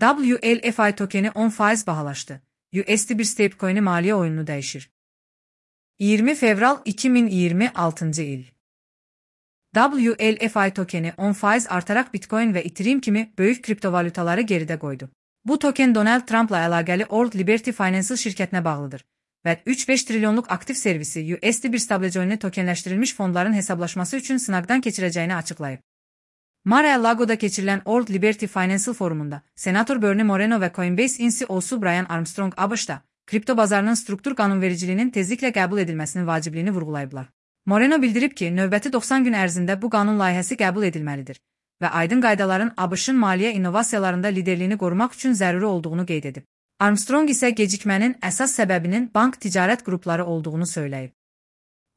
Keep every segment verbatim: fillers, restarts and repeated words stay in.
W L F I tokeni on faiz bahalaşdı. U S D bir stablecoin'i maliye oyununu değişir. yirmi fevral iki bin yirmi altıncı il. W L F I tokeni on faiz artarak Bitcoin ve Ethereum kimi büyük kriptovalutaları geride koydu. Bu token Donald Trump'la əlaqəli Old Liberty Financial şirkətinə bağlıdır və üç beş trilyonluq aktiv servisi U S D bir stablecoin'i tokenləşdirilmiş fondların hesablaşması üçün sınaqdan keçirəcəyini açıqlayıb. Mar-a-Lago'da keçirilən Old Liberty Financial forumunda Senator Bernie Moreno ve Coinbase C E O'su Brian Armstrong A B Ş'da kripto bazarının struktur qanunvericiliyinin tezliklə qəbul edilməsinin vacibliyini vurğulayıblar. Moreno bildirib ki, növbəti doxsan gün ərzində bu qanun layihəsi qəbul edilməlidir və aydın qaydaların A B Ş'ın maliyyə innovasiyalarında liderliyini qorumaq üçün zəruri olduğunu qeyd edib. Armstrong isə gecikmənin əsas səbəbinin bank ticarət qrupları olduğunu söyləyib.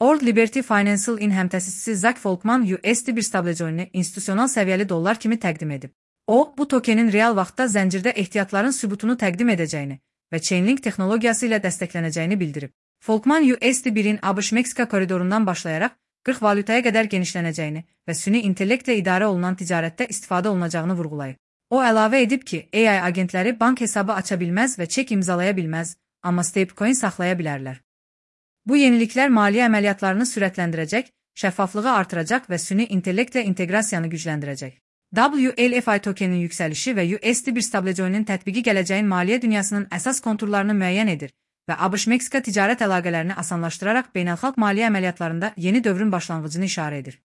Old Liberty Financial-in həmtəsisçisi Zach Folkman U S D bir stablecoin'i institusional səviyyəli dollar kimi təqdim edib. O, bu tokenin real vaxtda zəncirdə ehtiyatların sübutunu təqdim edəcəyini və Chainlink texnologiyası ilə dəstəklənəcəyini bildirib. Folkman U S D birin A B Ş-Meksika koridorundan başlayaraq qırx valutaya qədər genişlənəcəyini və süni intellektlə idarə olunan ticarətdə istifadə olunacağını vurğulayıb. O əlavə edib ki, A I agentləri bank hesabı aça bilməz və çek imzalaya bilməz, amma stablecoin saxlaya bilərlər. Bu yeniliklər maliyyə əməliyyatlarını sürətləndirəcək, şəffaflığı artıracaq və süni intellektlə inteqrasiyanı gücləndirəcək. W L F I tokeninin yüksəlişi və U S D bir stablecoin'in tətbiqi gələcəyin maliyyə dünyasının əsas konturlarını müəyyən edir və A B Ş-Meksika ticarət əlaqələrini asanlaşdıraraq beynəlxalq maliyyə əməliyyatlarında yeni dövrün başlanğıcını işarə edir.